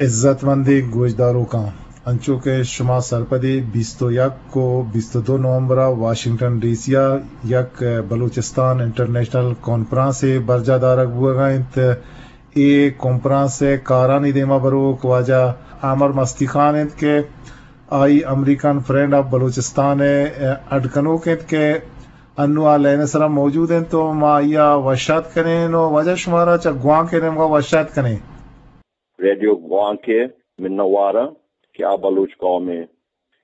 عزت مندیں گوشداروکاں، انچو کہ شما سرپدے، بیست و یک و بیست و دو نومبر ءَ واشنگٹن ڈی سی ءَ یک بلوچستان انٹرنیشنل کانفرنس ءِ برجاہ دارگ بوگ ءَ انت۔ اے کانفرنس ءِ کارانی دیما بروک واجہ عامر مستی خان انت کہ آئی امریکن فرینڈ آف بلوچستان ءِ اڈ کنوک انت کہ انو آ لائن ءِ سرا موجود انت، تو ما آئی ءَ وش آتک کنیں۔ نو واجہ شمارا چہ گوانک ءِ نیمگا وش آتک کنیں۔ ریڈیو گوانک ءِ منتواراں کہ آ بلوچ قوم ءِ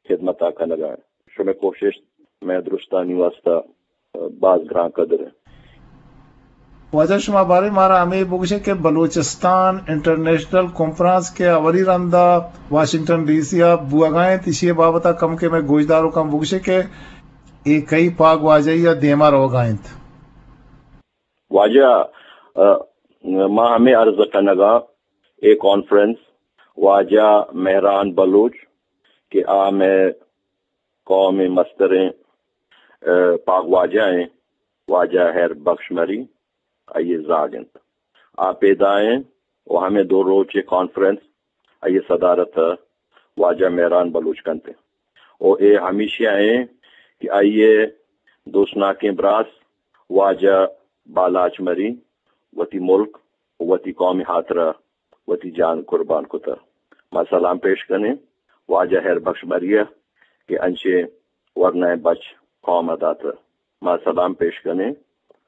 خدمت ءَ کنگ ءَ انت۔ شمئے کوشست مئے درستانی واسطہ باز گران قدر انت۔ واجہ شما بارے مارا ہمے بگوشے کہ بلوچستان انٹرنیشنل کانفرنس کہ اولی رندا واشنگٹن ڈی سی ءَ بوگا انت، ایشی بابت ءَ کم کہ مئے گوشداروکاں بگوشے کہ اے کئی پاگ واجہی ءَ دیما روگا انت۔ واجہ، ءَ، ما ہمے عرض کنگا اے کانفرنس واجہ مہران بلوچ کہ آ مئے قوم ءِ مستریں، ءَ، پاگواجہ ایں، واجہ ہیر بخش مری آئی ءِ زاگ انت۔ آ پیدا ایں و ہمے دو روچ ءِ کانفرنس آئی ءِ صدارت ءَ واجہ مہران بلوچ کنت انت۔ و اے ہمیشی ءَ ایں کہ آئی ءِ دوستناکیں براس واجہ بالاچ مری وتی ملک و وتی قوم ءِ ہاترا وتی جان قربان کتہ۔ ما سلام پیش کنیں واجہ ہیر بخش مری ءَ کہ انچیں ورنائیں بچ قوم ءَ داتہ۔ ما سلام پیش کنیں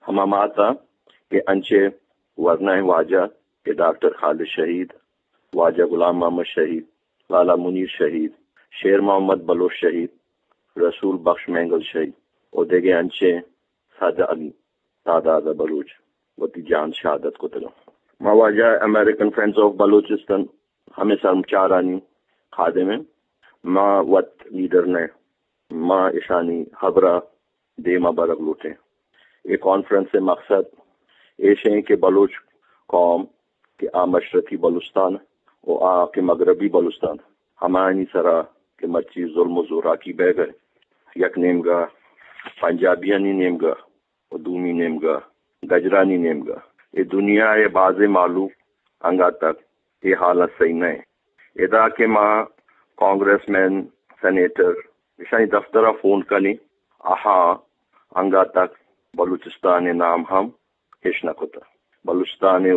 ہما مات ءَ کہ انچیں ورنائیں واجہ کہ ڈاکٹر خالد شہید، واجہ غلام محمد شہید، لالا منیر شہید، شیر محمد بلوچ شہید، رسول بخش مینگل شہید و دگہ انچیں صد انی تعداد ءَ بلوچ وتی جان شہادت کتگ۔ ما واجہ امریکن فرینڈز آف بلوچستان ہمے سرمچارانی خادم ایں۔ ما وت لیڈر نہ، ما اشانی ہبرا دیما برگ لوٹیں۔ اے کانفرنس ءِ مقصد ایش ایں کہ بلوچ قوم کہ آ مشرقی بلوچستان و آ کہ مغربی بلوچستان، ہمایانی سرا کہ مرچی ظلم و زوراکی بیگ ءَ، یک نیمگا پنجابیانی نیمگا و دومی نیمگا گجرانی نیمگا، اے دنیا ءِ بازیں مہلوک انگا تک اے حالاں سہی نہ ایں۔ ادا کہ ما کانگریس مین، سینیٹر، اشانی دفتر ءَ فون کنیں، آہاں انگا تک بلوچستان ءِ نام ہم اش نہ کتہ۔ بلوچستان ءِ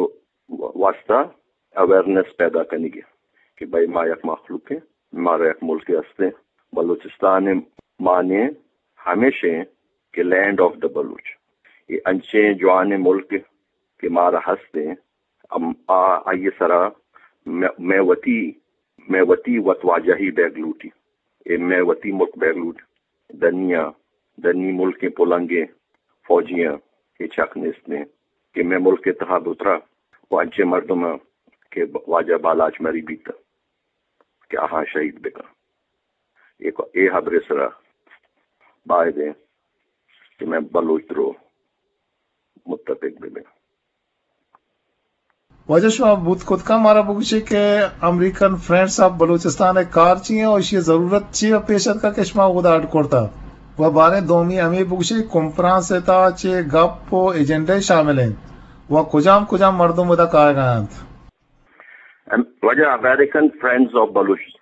واسطہ اویئرنس پیدا کنگی کہ بھئی ما یک مخلوق ایں، مارا یک ملکے ہستیں۔ بلوچستان ءِ معنی ہمیش ایں کہ لینڈ آف دا بلوچ۔ اے انچیں جوانیں ملک کہ مارا ہستیں، ام-، آ، آئی ءِ سرا مئے، مئے وتی، مئے وتی وت واجہی بیگ لوٹی۔ اے مئے وتی ملک بیگ لوٹ۔ دنیا، دنی ملکیں پلنگیں فوجیاں اے چک نیست ایں کہ مئے ملک ءِ تہا بترا و انچیں مردماں کہ واجہ بالاچ مری بیت کہ آہاں شہید بکن۔ اے، اے ہبرے سرا باید ایں کہ مئے بلوچ درو متفق ببیں۔ واجہ شما بوت کت کن مارا بگوشے کہ امریکن فرینڈز آف بلوچستان ءِ کار چی ایں و ایشی ءِ ضرورت چی ءَ پیش اتکا کہ شما اودا اڈ کرتا؟ و باریں دومی ہمے بگوشے کانفرنس ءِ تہا چے گپ و ایجنڈے شامل انت و کجام کجام مردم اودا کائیگا انت؟ ام، واجہ امریکن فرینڈز آف بلوچ-،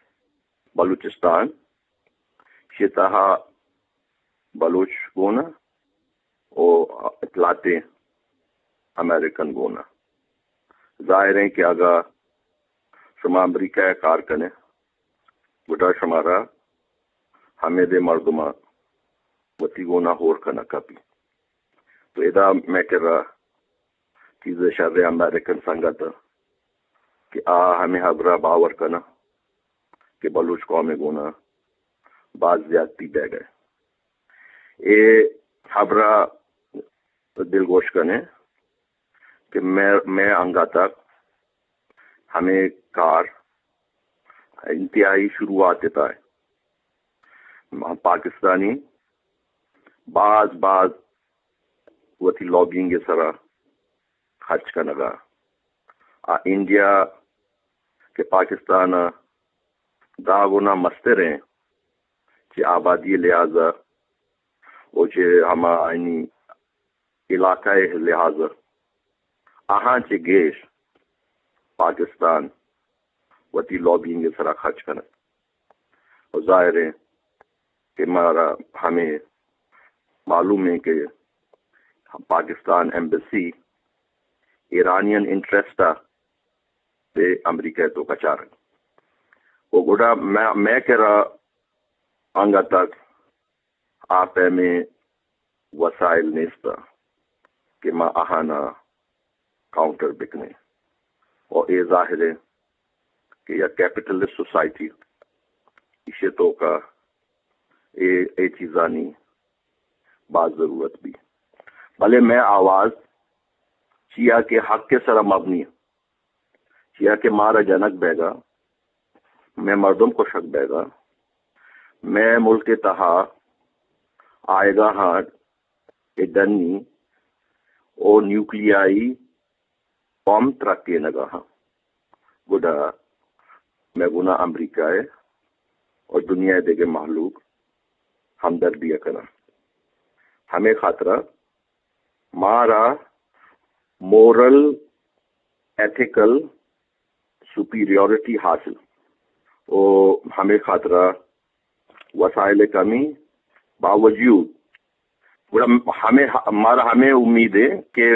بلوچستان چہ تہا بلوچ گون ءَ و اطلاعات امریکن گون ءَ۔ ظاہر ایں کہ اگاں شما امریکہ ءَ کار کن ئے، گڈا شمارا ہمیدے مردماں وتی گون ءَ ہور کنگ کپی۔ تو ادا مئے کرا چیزے شریں امریکن سنگت کہ آ ہمے ہبرا باور کناں کہ بلوچ قوم ءِ گون ءَ باز زیادتی بیگ ءَ۔ اے ہبرا دلگوش کن ئے کہ مئے، مئے انگت ءَ ہمے کار انتہائی شروعات ءِ تہا ایں۔ پاکستانی باز، باز وتی لابینگ ءِ سرا خرچ کنگ ءَ۔ آ انڈیا کہ پاکستان ءَ دہ گنا مستر ایں، چہ آبادی ءِ لحاظ ءَ و چہ ہما آیانی علاقہ ءِ لحاظ ءَ، آہاں چہ گیش پاکستان وتی لابینگ ءِ سرا خرچ کنگ۔ و ظاہر ہے کہ مارا ہمے معلوم ہے کہ پاکستان ایمبسی ایرانین انٹرسٹ ءَ پہ امریکہ ءِ توکا چارگ۔ و گڑا مئے، مئے کرا انگت تک آ پیمیں وسائل نیست کہ ما آہانا کاؤنٹر بکنیں۔ و اے ظاہر ہے کہ یک کیپٹلسٹ سوسائٹی، ایشی توکا اے، اے چیزانی باز ضرورت بی۔ بلے مئے آواز چیا کہ حق ءِ سرا مبنی، چیا کہ مارا جنگ بیگا، مئے مردم کشگ بیگا، مئے ملک ءِ تہا آیگا ہاں اے ڈنی او نیوکلیائی بم ترکینگا ہاں۔ گڑا مئے گونا امریکہ ءِ اور دنیا ءِ دگہ مہلوک ہمدردی ءَ کناں۔ ہمے خاطرا مارا مورل، ایتھیکل سپیریورٹی حاصل، و ہمے خاطرا وسائل کمی باوجود، گڑا ہمے، مارا ہمے امید ہے کہ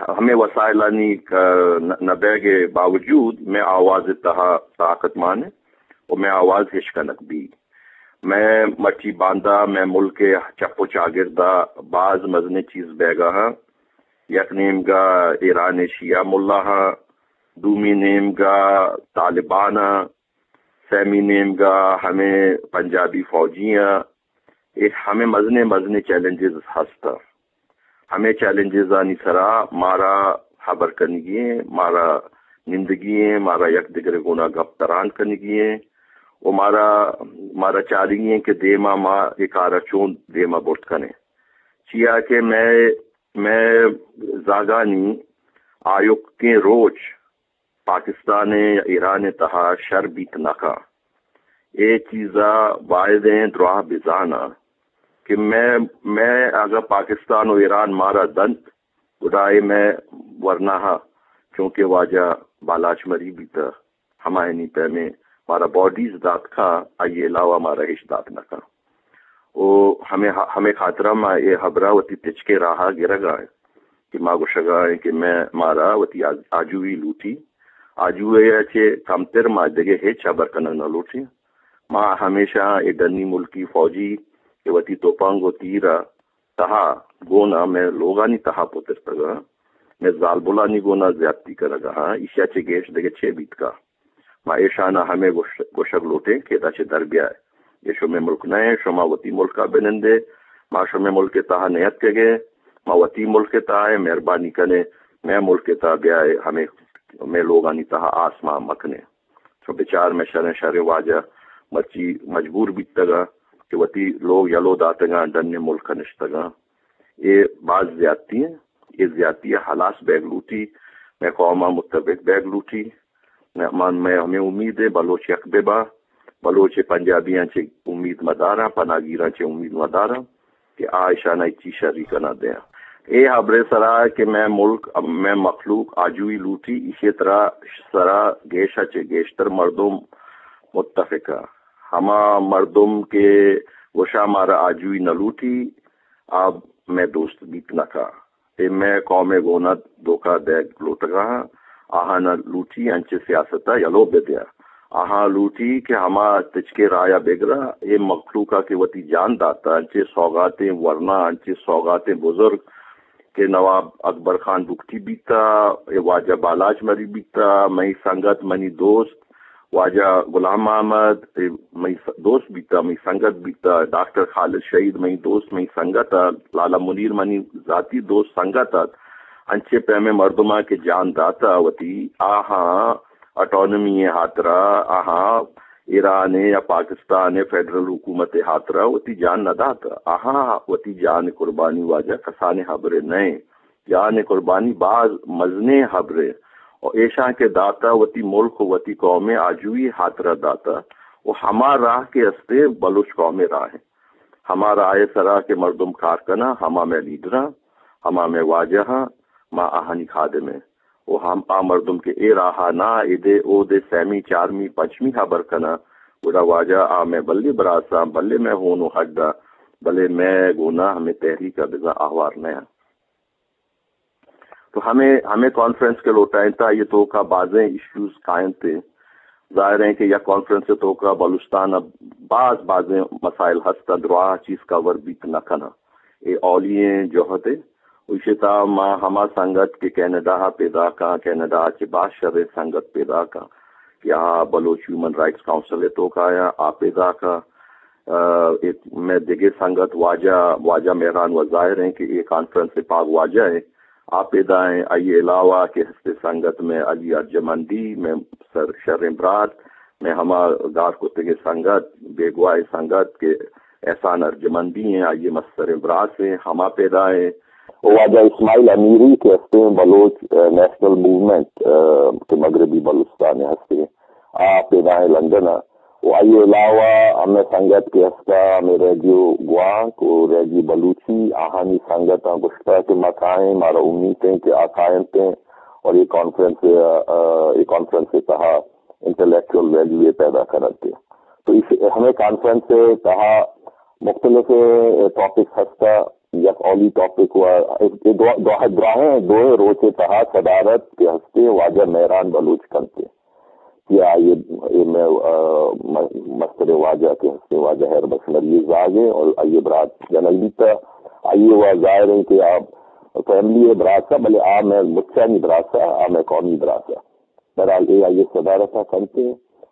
ہمے وسائلانی ک-، نہ، نہ بیگ باوجود مئے آواز تہا طاقت مان ہے و مئے آواز ہشکنگ بی۔ مئے مٹی باندا، مئے ملک ءِ چپ و چاگردا باز مزنیں چیز بیگا ہاں۔ یک نیمگا ایران ءِ شیعہ ملا ہاں، دومی نیمگا طالبان ہاں، سیمی نیمگا ہمے پنجابی فوجی ہاں۔ اے ہمے مزنیں، مزنیں چیلنجز ہست۔ ہمے چیلنجزانی سرا مارا ہبر کنگی ہیں، مارا نندگی ہیں، مارا یک دگرے گونا گپ تران کنگی ہیں و مارا، مارا چارگی ہیں کہ دیما ما اے کارا چون دیما برت کنیں۔ چیا کہ مئے، مئے زاگانی آیوکیں روچ پاکستان ءُ ایران ءِ تہا شر بیت نہ کن۔ اے چیزا بایدیں دراہ بزاناں کہ مئے، مئے اگاں پاکستان ءُ ایران مارا دنت، گڑا اے مئے ورناہا، چونکہ واجہ بالاچ مری بیتہ، ہمایانی پیمیں مارا باڈیز دات کن، آئی علاوہ مارا ہچ دات نہ کن۔ او ہمے، ہمے خاطرا ما اے ہبرا وتی تچکے راہا گرگا ایں کہ ما گوشگا ایں کہ مئے، مارا وتی آج-، آجوئی لوٹی۔ آجوئی ءَ چہ کمتر ما دگہ ہچ ہبر کنگ نہ لوٹیں۔ ما ہمیشہ اے ڈنی ملکی فوجی کہ وتی توپانگ و تیر ءِ تہا گونا مئے لوگانی تہا پترتگاں، مئے زالبولانی گونا زیادتی کنگا ہاں، ایشی ءَ چہ گیش دگہ چے بیت کا؟ ما ایشانا ہمے گوش-، گوشگ لوٹیں کہ ادا چہ در بیائے۔ اے شمئے ملک نہ ایں، شما وتی ملکا بنندے۔ ما شمئے ملک ءِ تہا نیتکگیں، ما وتی ملک ءِ تہا ایں، مہربانی کنے، مئے ملک ءِ تہا بیائے، ہمے مئے لوگانی تہا آس ما مکنے۔ چو بچار مئے شریں شریں واجہ مرچی مجبور بیتگاں کہ وتی لوگ یلو داتگاں، ڈنیں ملک ءَ نشتگاں۔ اے باز زیادتی ایں، اے زیادتی ءَ ہلاس بیگ لوٹی، مئے قوم ءَ متفق بیگ لوٹی۔ من، مئے ہمے امید ایں بلوچ یک بہ باں، بلوچ پنجابیاں چہ امید مداراں، پناہگیراں چہ امید مداراں کہ آ اشانا ہچی شری کناں دیاں۔ اے ہبرے سرا کہ مئے ملک، مئے مخلوق آجوئی لوٹی، ایشی ترا سرا گیشا چہ گیشتر مردم متفقاں۔ ہما مردم کہ گوشاں مارا آجوئی نہ لوٹی، آ مئے دوست بیت نہ کن۔ اے مئے قوم ءِ گونا دھوکہ دیگ لوٹگا ہاں، آہاں نہ لوٹی انچیں سیاست ءَ یلو بدیاں۔ آہاں لوٹی کہ ہما تچکے رایا بگرا، اے مخلوق ءَ کہ وتی جان داتا، انچیں سوغاتیں ورنا، انچیں سوغاتیں بزرگ کہ نواب اکبر خان بگٹی بیتا، اے واجہ بالاچ مری بیتا، مئی سنگت، منی دوست، واجہ غلام محمد، اے مئی س-، دوست بیتا، مئی سنگت بیتا، ڈاکٹر خالد شہید مئی دوست، مئی سنگت ات، لالا منیر منی ذاتی دوست سنگت ات۔ انچیں پیمیں مردماں کہ جان داتا وتی، آہاں اٹانومی ءِ ہاترا، آہاں ایران ءِ یا پاکستان ءِ فیڈرل حکومت ءِ ہاترا وتی جان نہ داتا۔ آہاں وتی جان قربانی واجہ کسانیں ہبرے نہ ایں۔ جان قربانی باز مزنیں ہبرے۔ و ایشاں کہ داتا وتی ملک و وتی قوم ءِ آجوئی ہاترا داتا۔ و ہما راہ کہ استے بلوچ قوم ءِ راہ ایں۔ ہما راہ ءِ سرا کہ مردم کار کناں، ہما مئے لیڈراں، ہما مئے واجہاں، ما آہانی خادم ایں۔ و ہم آ مردم کہ اے راہ ءَ نہ، ادے اودے سیمی، چارمی، پنچمی ہبر کناں، گڑا واجہ آ مئے بلے براساں، بلے مئے ہون و ہڈاں، بلے مئے گونا ہمے تحریک ءَ بزاں آہوار نہ انت۔ تو ہمے، ہمے کانفرنس کہ لوٹائینتا، آئی ءِ توکا بازیں ایشوز کاینت۔ ظاہر ہیں کہ یک کانفرنس ءِ توکا بلوچستان ءَ باز بازیں مسائل ہست، دراہ چیز کور بیت نہ کناں۔ اے اولی ایں جہد ءِ۔ ایشی تہا ما ہما سنگت کہ کینیڈا ءَ پیداکاں، کینیڈا ءَ چہ باز شریں سنگت پیداکاں کہ آ بلوچ ہیومن رائٹس کونسل ءِ توکا آیاں، آ پیداکاں۔ ءُ اے مئے دگہ سنگت واجہ، واجہ مہران و ظاہر ہیں کہ اے کانفرنس ءِ پاگ واجہ ہیں، آ پیدا ہیں۔ آئی ءِ علاوہ کہ ہستے سنگت مئے علی ارجمندی، مئے سر شریں برات، مئے ہما گار کتگیں سنگت، بیگواہ سنگت کہ احسان ارجمندی ہیں، آئی ءِ مستریں برات ہیں، ہما پیدا ہیں۔ و واجہ اسماعیل امیری کہ ہستیں بلوچ، ءَ، نیشنل موومنٹ، ءَ، کہ مغربی بلوچستان ءَ ہستیں، آ پیدا ہیں لندن ءَ۔ و آئی ءِ علاوہ ہمے سنگت کہ ہستا ہمے ریڈیو گوانک و ریڈیو بلوچی، آہانی سنگتاں گوشتا کہ ما کائیں، مارا امیت ہیں کہ آ کاینت ہیں اور اے کانفرنس، ءَ، اے کانفرنس ءِ تہا انٹلیکچوئل ویلیو ءَ پیدا کننت۔ تو اس ہمے کانفرنس ءِ تہا مختلف ٹاپکس ہستا، یک اولی ٹاپک و اے دو، دو، دراہیں دوئیں روچ ءِ تہا صدارت کہ ہستے واجہ مہران بلوچ کنتے کہ آئی ءِ، اے مئے، ءَ، م-، مستر واجہ کہ ہستے واجہ ہیر بخش مری زاگ ہیں اور آئی ءِ برات جنگ بیتا۔ آئی ءِ و ظاہر ہیں کہ آ فیملی ءِ براسا، بلے آ مئے مچانی براسا، آ مئے قومی براسا۔ بہرحال اے آئی ءِ صدارت ءَ کنت۔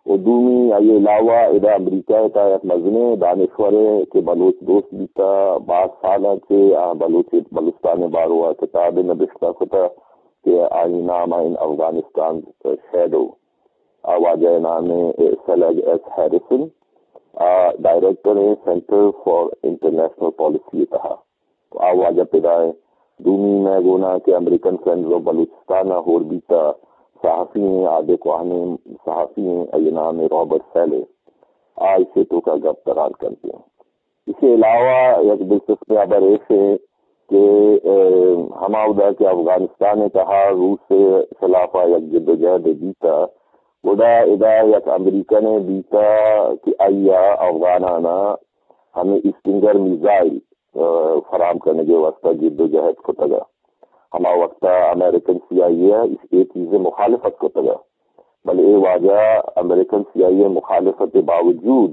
و دومی آئی ءِ علاوہ ادا امریکہ ءِ تہا یک مزنیں دانشورے کہ بلوچ دوست بیتا، باز سالاں چہ آ بلوچ، بلوچستان ءِ باروا کتابے نبشتہ کتا کہ آئی نام ءَ ان افغانستان شیڈو۔ آ واجہ ءِ نام ءَ سیلگ ایس ہیریسن، آ ڈائریکٹر ہیں سینٹر فار انٹرنیشنل پالیسی ءِ تہا۔ تو آ واجہ پدا ایں۔ دومی مئے گونا کہ امریکن فرینڈز آف بلوچستان ءَ ہور بیتا، صحافی ایں، آدے کوہنیں صحافی ایں، آئی نام ایں رابرٹ سیلے۔ آ ایشی توکا گپ تران کنتے ہیں۔ ایشی علاوہ یک دلچسپ ہبر ایش ایں کہ، اے، ہما ودا کہ افغانستان ءِ تہا روس ءِ خلاف ءَ یک جدوجہد بیتا، گڑا ادا یک امریکن بیتا کہ آئی ءَ افغانانا ہمے اسٹنگر میزائل ءَ، فراہم کنگ ءِ واستہ جدوجہد کتگ ءَ۔ ہما وقت ءَ امریکن سی آئی اے ءَ اے چیز ءِ مخالفت کتگ ءَ، بلے اے واجہ امریکن سی آئی اے ءِ مخالفت ءِ باوجود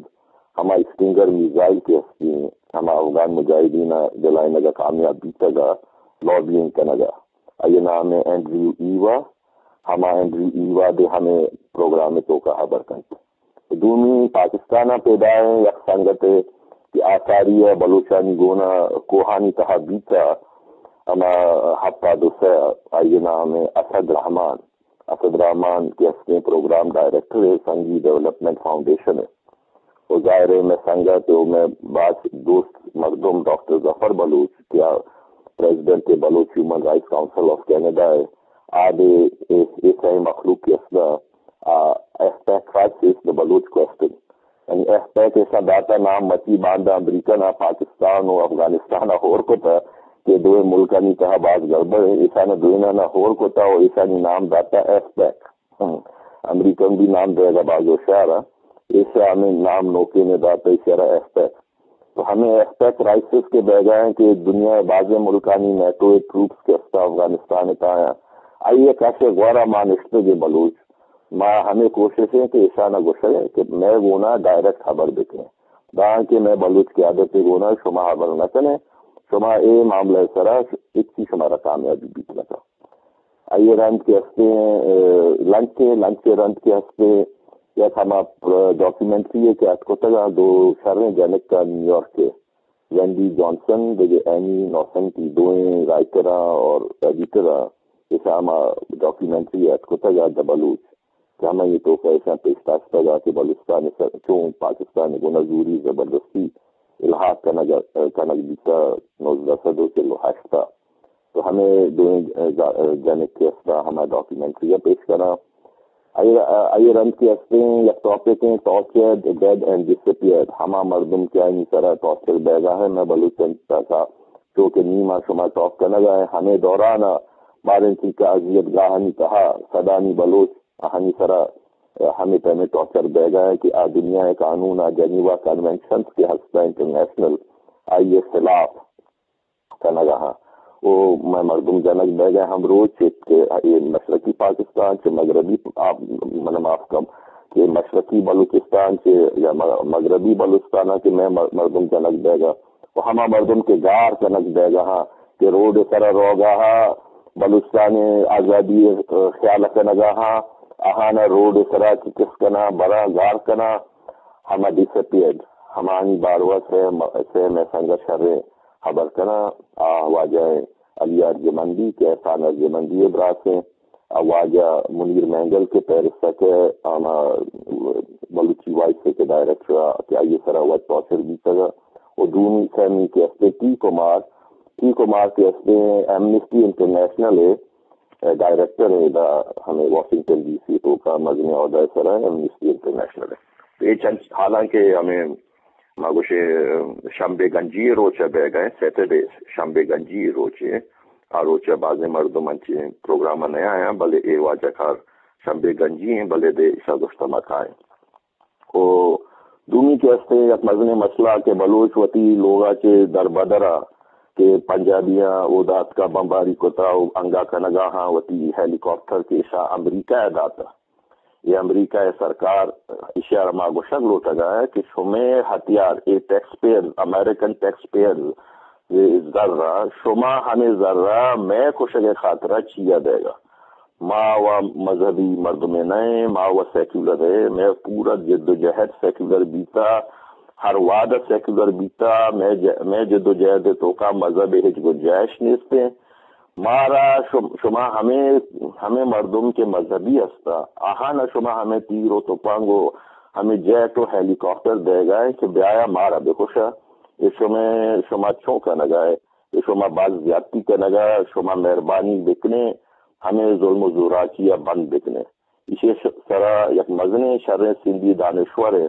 ہما اسٹنگر میزائل کہ ہستی، ہما افغان مجاہدین ءَ دلائینگ ءَ کامیاب بیتگ ءَ، لابینگ کنگ ءَ۔ آئی ءِ نام ءَ اینڈریو ایوا، ہما اینڈریو ایوا دے ہمے پروگرام ءِ توکا ہبر کنت۔ دومی پاکستان ءَ پیدا ایں یک سنگتے کہ آساری ءَ بلوچانی گون ءَ کوہانی تہا بیت ءَ، ہما ہپتاد ءُ سئے، آئی ءِ نام ایں اسد رحمان۔ اسد رحمان کہ ہستیں پروگرام ڈائریکٹر ایں سنگی ڈیولپمنٹ فاؤنڈیشن ءِ۔ و ظاہر ایں مئے سنگت و مئے باز دوست مردم ڈاکٹر ظفر بلوچ کہ آ پریزیڈنٹ ایں بلوچ ہیومن رائٹس کونسل آف کینیڈا ءِ، آ دے اے، اے سئیں مخلوق کہ است آ، ایف پیک کرائسس، دی بلوچ کوئسچن۔ یعنی ایف پیک ایشاں داتا نام، مچی باندا امریکن ءَ پاکستان و افغانستان ءَ ہور کتا کہ دوئیں ملکانی تہا باز گڑبڑ ایں، ایشاں دوئیناں ہور کتا و ایشانی نام داتا ایف پیک۔ ہم۔ امریکن بھی نام دئیگ ءَ باز ہوشیار ایں۔ ایشاں ہمے نام نوکین ءَ داتا، ایشاں را ایف پیک۔ تو ہمے ایف پیک کرائسس کہ بیگا ایں کہ دنیا ءِ بازیں ملکانی نیٹو ءِ ٹروپس کہ استا افغانستان ءِ تہا ایں، آئی ءِ کش ءِ گورا ما نشتگیں بلوچ، ما ہمے کوشش ایں کہ ایشاں گوشگ ایں کہ مئے گونا ڈائریکٹ ہبر بکن ایں، دانکہ مئے بلوچ قیادت ءِ گونا شما ہبر نہ کن ایں، شما اے معاملہ ءِ سرا ہچی شمارا کامیابی بیت نہ کن۔ آئی ءِ رند کہ ہستیں، اے، لنچ ءِ، لنچ ءِ رند کہ ہستیں، یک ہما پر-، ڈاکیومنٹری ءِ کہ اتکتگ آں دو شریں جنک ءَ نیویارک ءَ، وینڈی جانسن دگہ اینی نوسنٹی، دوئیں رائٹر آں اور ایڈیٹر آں، ایشاں ہما ڈاکیومنٹری ءَ اتکتگ آں دی بلوچ کہ ہمائی ءِ توکا ایشاں پیش داشتگ آں کہ بلوچستان ءِ سر چون پاکستان ءِ گونا زوری زبردستی الحاق کنگ، کنگ بیتا نوزدہ سد و چل و ہشت ءَ۔ تو ہمے دوئیں ج-، جنک کہ استا ہما ڈاکیومنٹری ءَ پیش کناں۔ آئی، آئی رند کہ ہستیں یک ٹاپک ایں ٹارچرڈ، ڈیڈ اینڈ ڈسپیئرڈ، ہما مردم کہ آئینی سرا ٹارچر بیگا ایں، مئے بلوچانی تہا چو کہ نی ما شما ٹاک کنگا ایں، ہمے دوران ءَ باریں چی کہ اذیت گاہانی تہا صدانی بلوچ آہانی سرا ہمے پیمیں ٹارچر بیگا ہے کہ آ دنیا ءِ قانون، آ جنیوا کنونشنز کہ ہستا انٹرنیشنل، آئی ءِ خلاف کنگا ہاں۔ او مئے مردم جنگ بیگا ہم روچ چہ کہ اے مشرقی پاکستان، چہ مغربی، آپ من معاف کم، کہ مشرقی بلوچستان چہ یا م-، مغربی بلوچستان کہ مئے مر-، مردم جنگ بیگا و ہما مردم کہ گار کنگ بیگا ہاں، کہ روڈ سرا روگا ہاں، بلوچستان آزادی خیال کنگا ہاں، آہانا روڈ سرا چکس کنا، برا گار کنا، ہما ڈس اپیئرڈ، ہمانی باروا سے م-، سے مئے سنگت شریں خبر کنا، آ واجہ علی ارجمندی کہ احسان ارجمندی ءِ براسیں، آ واجہ منیر مینگل کہ پیرس ءَ کہ آما بلوچی وائس ءِ کہ ڈائریکٹر ءَ کہ آئی ءِ سرا وت ٹارچر بیتگ ءَ، و دومی سیمی کہ استے ٹی کمار، ٹی کمار کہ استے ایمنسٹی انٹرنیشنل ءِ ڈائریکٹر ءِ، ادا ہمے واشنگٹن ڈی سی توکا مزنیں عہدہ ءِ سرا ایمنسٹی انٹرنیشنل ءِ۔ تو اے چنچ حالانکہ ہمے ما گوشے شنبے گنجی ءِ روچ ءَ بیگ ءَ، سیٹرڈے، شنبے گنجی ءِ روچ ءَ، آ روچ ءَ بازیں مردم انچیں پروگرام ءَ نیایاں، بلے اے واجہ کار شنبے گنجی ایں، بلے دے ایشاں گوشتہ ما کائیں۔ و دومی کہ استے یک مزنیں مسئلہ کہ بلوچ وتی لوگا چہ در بدرا کہ پنجابیاں اودا اتکا بمباری کتا و انگا کنگا ہاں، وتی ہیلی کاپٹر کہ ایشاں امریکہ ءَ داتا۔ اے امریکہ ءِ سرکار، ایشی ءَ را ما گوشگ لوٹگ ءَ کہ شمے ہتیار، اے ٹیکس پیئرز، امریکن ٹیکس پیئرز ءِ زر ءَ، شما ہمے زر ءَ مئے کشگ ءِ خاطر ءَ چیا دئیگ ءَ؟ ما و مذہبی مردمے نہ ایں، ما و سیکولر ایں، مئے پورا جد و جہد سیکولر بیتا، ہر وہد ءَ سیکولر بیتا، مئے ج-، مئے جد و جہد ءِ توکا مذہب ءِ ہچ گنجائش نیست ایں۔ مارا شم-، شما ہمے، ہمے مردم کہ مذہبی ہستا، آہانا شما ہمے تیر و تپنگ و ہمے جیٹ و ہیلی کاپٹر دیگا ہے کہ بیایا مارا بکشا۔ اے شما، شما چون کنگا ہے؟ اے شما باز زیادتی کنگا، شما مہربانی بکنے، ہمے ظلم و زوراکی ءَ بند بکنے۔ ایشی ش-، سرا یک مزنیں شریں سندھی دانشور ءِ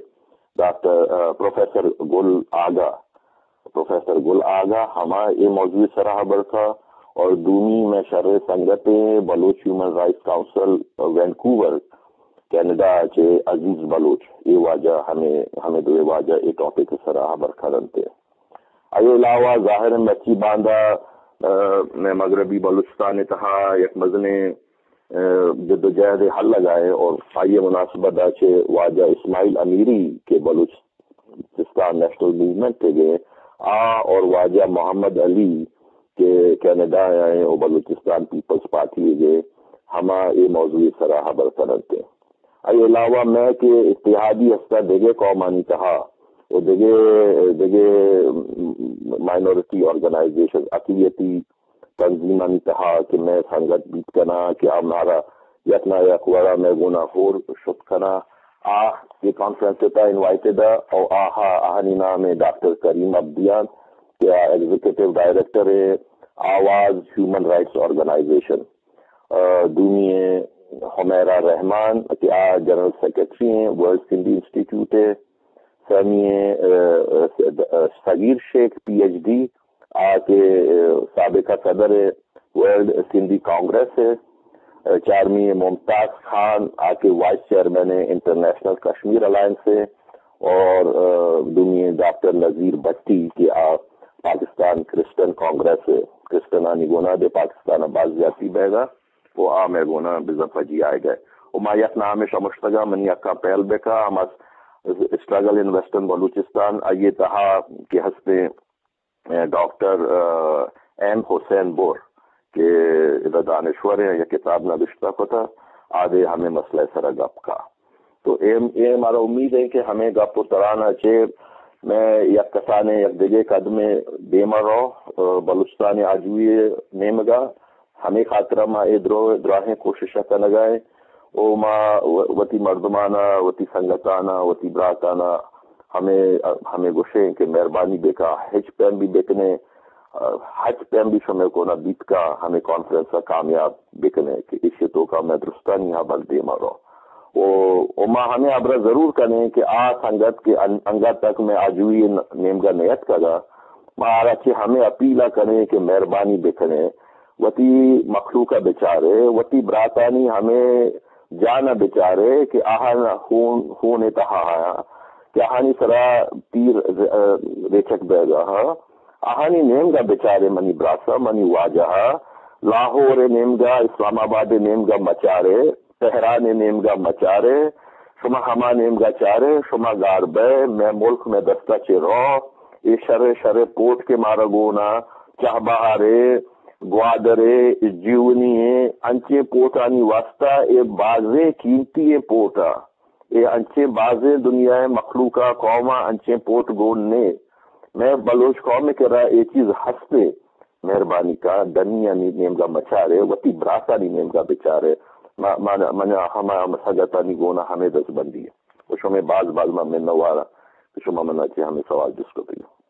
ڈاکٹر، آ، پروفیسر گل آگا، پروفیسر گل آگا ہما اے موضوع سرا ہبر کا اور دومی مئے شریں سنگت ءِ بلوچ ہیومن رائٹس کونسل وینکوور کینیڈا چہ عزیز بلوچ، اے واجہ ہمے، ہمے دوئے واجہ اے ٹاپک سرا ہبر کرنتے۔ آئی علاوہ ظاہر ہے مرچی باندا، آ، مئے مغربی بلوچستان ءِ تہا یک مزنیں، آ، جدوجہد حل لگائے اور آئی مناسبت ءَ چہ واجہ اسماعیل امیری کہ بلوچستان نیشنل موومنٹ ءِ گے آ اور واجہ محمد علی کہ کینیڈا ءَ ہیں اور بلوچستان پیپلز پارٹی ءِ گے ہما اے موضوع سرا ہبر کننتے۔ آئی علاوہ مئے کہ اتحادی ہستہ دگہ قومانی تہا و دگہ، دگہ مائنورٹی آرگنائزیشن، اقلیتی تنظیمانی تہا کہ مئے سنگت بیت کناں کہ آ مارا یک نہ یک وڑا مئے گونا ہور شت کناں۔ آ اے کانفرنس ءِ تہا انوائٹڈ ءَ او آہا، آہانی نام ءَ ڈاکٹر کریم عبدیان کہ آ ایگزیکٹو ڈائریکٹر ءِ آواز ہیومن رائٹس آرگنائزیشن۔ آ، دومی ءَ حمیرا رحمان کہ آ جنرل سیکرٹری ہیں ورلڈ سندھی انسٹیٹیوٹ ءِ، سیمی ءَ، آ، آ، صغیر شیخ پی ایچ ڈی آ کہ، آ، سابقہ صدر ورلڈ سندھی کانگریس ءِ، آ، چارمی ءَ ممتاز خان آ کہ وائس چیئرمین انٹرنیشنل کشمیر الائنس ءِ، اور، آ، دومی ءَ ڈاکٹر نذیر بھٹی کہ آ پاکستان کرسچن کانگریس ءِ، کرسچنانی گونا دے پاکستان ءَ باز زیادتی بیگا و آ مئے گونا بزاں پجی آئیگا۔ و ما یک نامے شمشتگا منی حقا پہل بکا، ہما اسٹرگل ان ویسٹرن بلوچستان، آئی تہا کہ ہستیں، آ، ڈاکٹر، آ، ایم حسین بور کہ ادا دانشور ہیں، یک کتاب نبشتہ کتا، آدے ہمیں مسئلہ سرا گپ کا۔ تو اے، اے مارا امید ہے کہ ہمیں گپ و ترانا چے میں یک کسانے یک دگے قدمے دیما رو، آ، بلوچستان آجوئی نیمگا، ہمے خاطرا ما اے درو-، دراہیں کوشش ءَ کنگا ایں۔ او ما و-، وتی مردمانا، وتی سنگتانا، وتی براتانا ہمے، ہمے گوشیں کہ مہربانی بکا، ہچ پیم بھی بکنے، ہچ پیم بھی شمے کونا بیت کا، ہمے کانفرنس ءَ کامیاب بکنے کہ ایشی توکا مئے درستانی ہبر دیما رو۔ او، او ما ہمے ہبرا ضرور کنیں کہ آ سنگت کہ ان-، انگت تک مئے آجوئی ن-، نیمگا نیتکگا، ما آرا چہ ہمے اپیل ءَ کنیں کہ مہربانی بکنے، وتی مخلوق ءَ بچارے، وتی براتانی ہمے جان ءَ بچارے کہ آہان خون، خون ءِ تہا آیاں، کہ آہانی سرا تیر، ا، ریچک بیگا ہا۔ آہانی نیمگا بچارے منی براسا، منی واجہا، لاہور ءِ نیمگا، اسلام آباد ءِ نیمگا مچارے، تہران ءِ نیمگا مچارے، شما ہما نیمگا چارے، شما گار بئے، مئے ملک مئے دستا چہ رو، اے شر شر پوٹ کہ مارا گونا، چہبہارے، گوادرے، جیونی ءِ انچیں پوٹانی واسطہ اے بازیں قیمتی ایں پوٹ ءَ۔ اے انچیں بازیں دنیا ءِ مخلوق ءَ قوم ءَ انچیں پوٹ گون نے۔ مئے بلوچ قوم ءِ کرا اے چیز ہستے۔ مہربانی کا ڈنیانی نیمگا مچارے، وتی براتانی نیمگا بچارے۔ ما، ما، منا ہما مسگتانی گونا ہمے دزبندی ہے۔ و شمے باز باز ما منوار کہ شما منا چہ ہمے سوال جست کتگ۔